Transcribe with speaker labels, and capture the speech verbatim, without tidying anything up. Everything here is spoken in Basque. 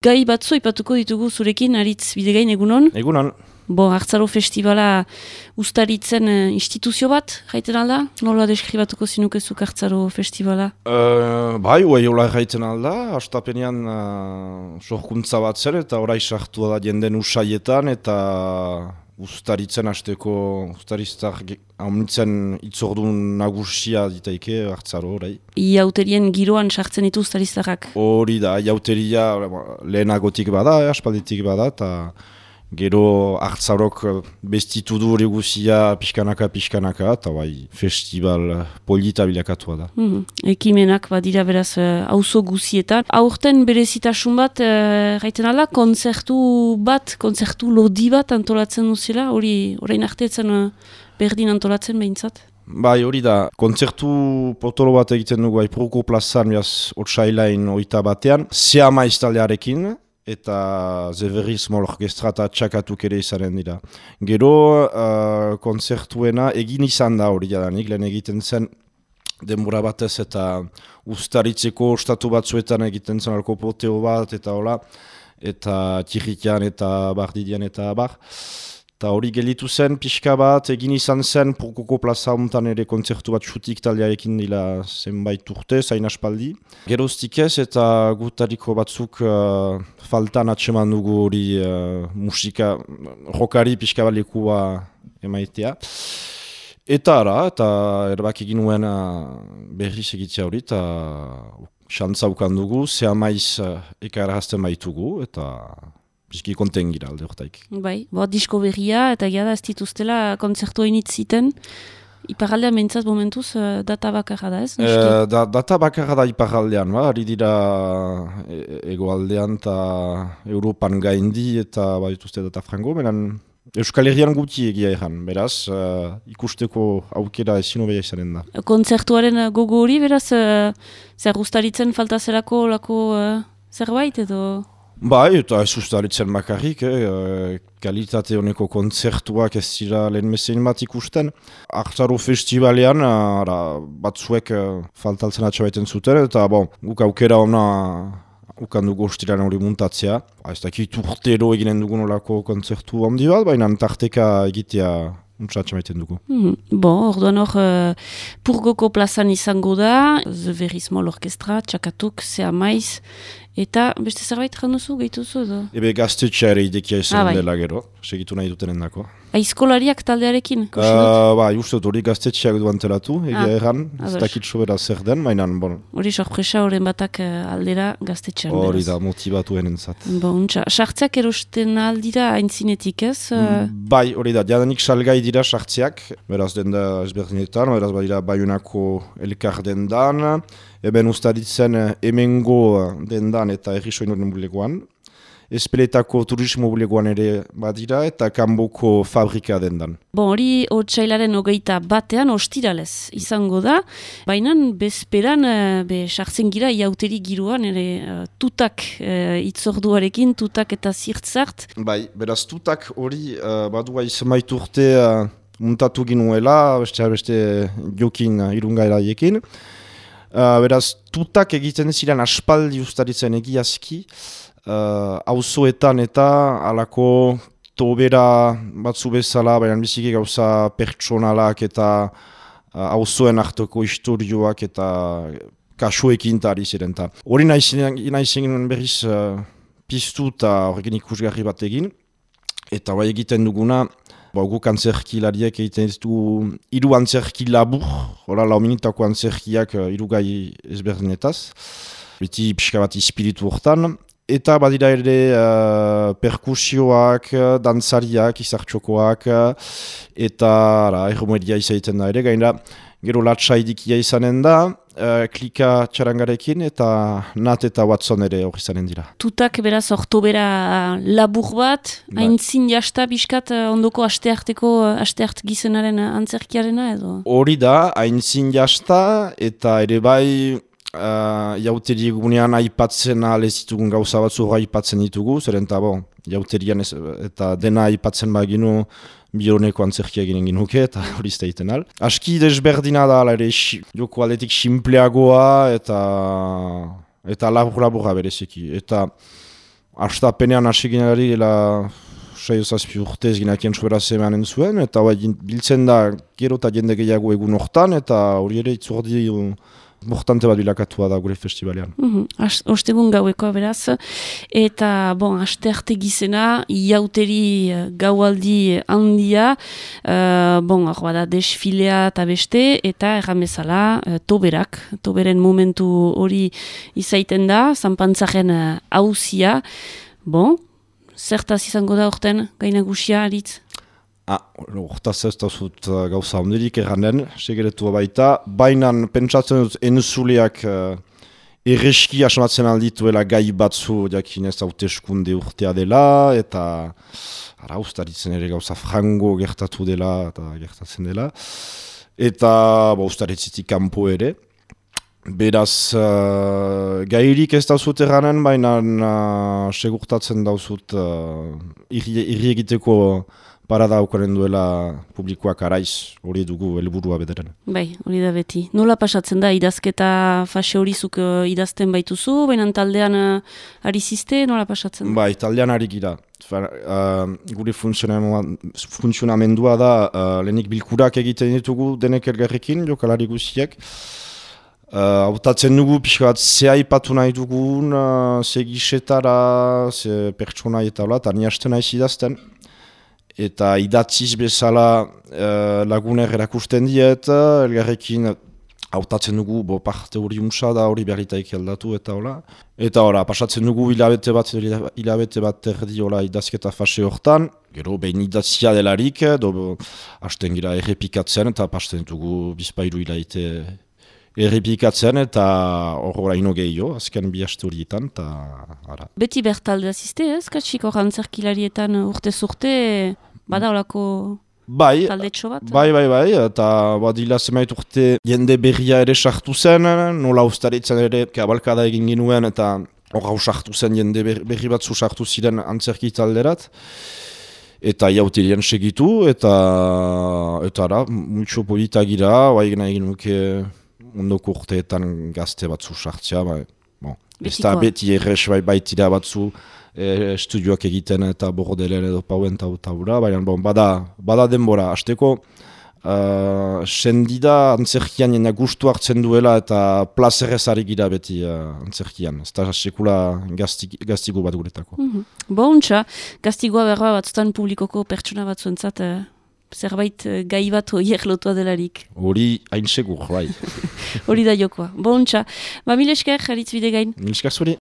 Speaker 1: Gai batzu ipatuko ditugu zurekin, Aritz Bidegain, egunon?
Speaker 2: Egunon.
Speaker 1: Bo, Hartzaro Festivala ustaritzen uh, instituzio bat, jaiten alda? Nola deskribatuko zinukezuk Hartzaro Festivala?
Speaker 2: Uh, bai, uai hola jaiten alda, hastapenean uh, sorkuntza bat zer, eta orai sartu da jenden usaietan, eta ustaritzen hasteko, ustariztar haunitzen itzordun nagusia ditaike Hartzaro, orai.
Speaker 1: Iauterien giroan sartzen ditu ustariztarrak?
Speaker 2: Hori da, iauteria lehenagotik bada, eh, aspalditik bada, eta gero Hartzarok bestitu du hori guzia pixkanaka, pixkanaka, eta bai, festival polita bilakatua da.
Speaker 1: Mm, ekimenak badira beraz auzo guzietan. Aurten berezitasun bat, uh, gaiten ala, kontzertu bat, kontzertu lodi bat antolatzen duzela, hori orain arteetzen uh, berdin antolatzen behintzat?
Speaker 2: Bai, hori da, kontzertu potolo bat egiten dugu Aipurko plazan, biaz, otsailain oita batean, Seama iztaldearekin, eta Zeverriz Mol Orkestra eta txakatuk ere izanen dira. Gero, uh, kontzertuena egin izan da hori jadanik, lehen egiten zen denbora batez eta ustaritzeko ostatu batzuetan egiten zen alkopoteo bat, eta hola, eta tirrikian eta bardidian eta bar. Eta hori gelitu zen, pixka bat, egin izan zen, Purkoko plaza hontan ere kontzertu bat xutik taldearekin dila zenbait urte, zain aspaldi. Geroztik ez, eta gutariko batzuk uh, faltan atseman dugu hori uh, musika, rokari pixka bat lekua emaitea. Eta ara, eta erbak egin nuen uh, berriz egitea hori, eta xantza ukan dugu, zea maiz uh, ekarrazten baitugu, eta bizki konten gira alde hortaik.
Speaker 1: Bai, bo, disko berria, eta gira da ez dituztela kontzertu hainitz ziten. Iparraldean behintzat momentuz uh, data bakarra da ez?
Speaker 2: E, da, data bakarra da iparraldean, ba, ari dira e, egoaldean eta Europan gaindi eta ba, dituzte data frango, benen Euskal Herrian guti egia erran, beraz, uh, ikusteko aukera ezin hobea izanen da.
Speaker 1: Kontzertuaren gogo hori, beraz, uh, zer ustaritzen falta zerako lako uh, zerbait edo?
Speaker 2: Bai, eta ez ustaritzen bakarrik, eh, kalitate honeko kontzertuak ez dira lehen mezein bat ikusten. Hartzaro festivalean, ara, batzuek uh, faltaltzen atxabaiten zuten, eta bon, guk aukera ona ukan dugu ostiran hori muntatzea. Ba, ez dakit urtero eginen dugun olako kontzertu handi bat, baina tarteka egitea untsa atxamaiten dugu.
Speaker 1: Mm, bon, orduan hor, uh, Purgoko plazan izango da, Zeverriz Mol Orkestra, txakatuk, zea maiz, eta beste zerbait janduzu, gehituzu edo?
Speaker 2: Ebe gaztetxea ere idekia izan
Speaker 1: ah, bai.
Speaker 2: dela gero, segitu nahi dutenen dako.
Speaker 1: Aizkolariak taldearekin?
Speaker 2: Uh, ba, uste dut hori gaztetxeak duan telatu, egia
Speaker 1: ah,
Speaker 2: erran, ez dakit sobera zer den, mainan, bon.
Speaker 1: Hori sorpresa horren batak aldera gaztetxean.
Speaker 2: Hori da, motivatu enentzat.
Speaker 1: Bon, txa, sartzeak erosten aldira aintzinetik ez?
Speaker 2: Mm, bai, hori da, jadanik salgai dira sartzeak, beraz denda ezberdinetan, beraz badira Baionako elkar dendan, eben ustaditzen hemengo dendan eta errisoinoren bulegoan, Espeletako turismo bulegoan ere badira eta kanboko fabrika dendan.
Speaker 1: Bon, hori otsailaren hogeita batean ostiralez izango da, baina bezperan be sartzen gira iauteri giroan ere uh, tutak uh, itzorduarekin, tutak eta zirtzart.
Speaker 2: Bai, beraz tutak hori uh, badua izemait urte uh, muntatu ginuela, beste beste jokin uh, irungairaiekin. Uh, beraz tutak egiten ziren aspaldi ustaritzen egiazki, auzoetan uh, eta alako tobera batzu bezala, baina biziki gauza pertsonalak eta auzoen uh, hartoko historioak eta kasuekin tari ziren. Hori nahi zen berriz uh, piztu eta horrekin ikusgarri bat egin, eta bai egiten duguna, ba, guk antzerkilariek egiten ditu hiru antzerki labur, hori lau minutako antzerkiak uh, hiru gai ezberdinetaz, beti pixka bat ispiritu hortan. Eta badira ere uh, perkusioak, dantzariak, izartxokoak, eta erromeria izaiten da ere, gaina gero latsaidikia izanen da, uh, klika txarangarekin, eta Nat eta Watson ere hori izanen dira.
Speaker 1: Tutak beraz ortobera labur bat, haintzin jasta biskat ondoko astearteko asteart gizenaren antzerkiarena edo? Hori
Speaker 2: da, haintzin jasta, eta ere bai Uh, jauteri egunean aipatzen alez ditugun gauza batzu aipatzen ditugu, zeren eta bon, jauterian ez, eta dena aipatzen baginu bioneko antzerkia ginen ginuke, eta hori izteiten al. Aski desberdina da, ere, joko aldetik simpleagoa, eta eta labur-laburra bereziki. Eta astapenean hasi ginari, saio zazpi urtez ginakien sobera zemanen zuen, eta bai, biltzen da gero eta jende gehiago egun hortan, eta hori ere itzordi importante bat bilakatua da gure festivalean.
Speaker 1: Mm-hmm. Ostegun gauekoa beraz, eta bon, aste arte gizena, iauteri gaualdi handia, uh, bon, hor bada desfilea eta beste, eta erran bezala uh, toberak, toberen momentu hori izaiten da, zanpantzaren hauzia, uh, bon, zertaz izango da orten, gainagusia, aritz?
Speaker 2: Ah, hortaz ez da zut uh, gauza ondirik erranen, segeretua baita, bainan pentsatzen dut enzuleak uh, erreski asmatzen aldituela gai batzu jakinez hauteskunde urtea dela, eta ara ustaritzen ere gauza frango gertatu dela, eta gertatzen dela, eta ba, ustaritzitik kanpo ere. Beraz, uh, gairik ez dauzut erranen, baina uh, segurtatzen dauzut uh, irri, irri egiteko parada aukaren duela publikoak araiz, hori dugu helburua bederen.
Speaker 1: Bai, hori da beti. Nola pasatzen da, idazketa fase hori zuk uh, idazten baituzu, baina taldean uh, ari ziste, nola pasatzen da?
Speaker 2: Bai, taldean ari gira. Uh, gure funtzionamendua da, uh, lehenik bilkurak egiten ditugu denek elgarrekin, jokalari guziek. Hautatzen uh, dugu, pixka bat, ze aipatu nahi dugun, uh, ze gisetara, ze pertsona eta hola, eta ni hasten naiz idazten. Eta idatziz bezala uh, laguner erakusten diet, elgarrekin hautatzen dugu, bo parte hori unsa da, hori berritaik aldatu eta hola. Eta hola, pasatzen dugu hilabete bat, hilabete bat erdi hola idazketa fase hortan. Gero, behin idatzia delarik, do, hasten gira errepikatzen eta pasten dugu bizpailu hilabete errepikatzen eta horra ino gehiago, azken bi haste horietan, eta ara.
Speaker 1: Beti bertalde azizte, ez? Katxiko rantzerkilarietan urte zurte, bada horako
Speaker 2: bai,
Speaker 1: taldetxo bat?
Speaker 2: Bai, bai, bai, eta badila zemait urte jende berria ere sartu zen, nola ustaritzen ere kabalkada egin ginuen, eta horra sartu zen jende berri batzu sartu ziren antzerki talderat. Eta iauterien segitu, eta eta ara, multxo polita gira, bai gana egin nuke ondoko urteetan gazte batzu sartzea, bai, bon. Ez da beti errez bai baitira batzu e, estudioak egiten eta bordelen edo pauen eta ura, baina bon, bada, bada denbora. Azteko, uh, sendida antzerkian jena gustu hartzen duela eta plazerrez ari gira beti uh, antzerkian. Ez da sekula gaztigo bat guretako.
Speaker 1: Mm-hmm. Bontxa, gaztigoa berba batzutan publikoko pertsona batzuentzat uh... zerbait gai bat horiek lotua delarik.
Speaker 2: Hori hain segur, bai.
Speaker 1: Hori da jokoa. Bontxa. Ba, mil esker, Aritz Bidegain.
Speaker 2: Mil esker zuri.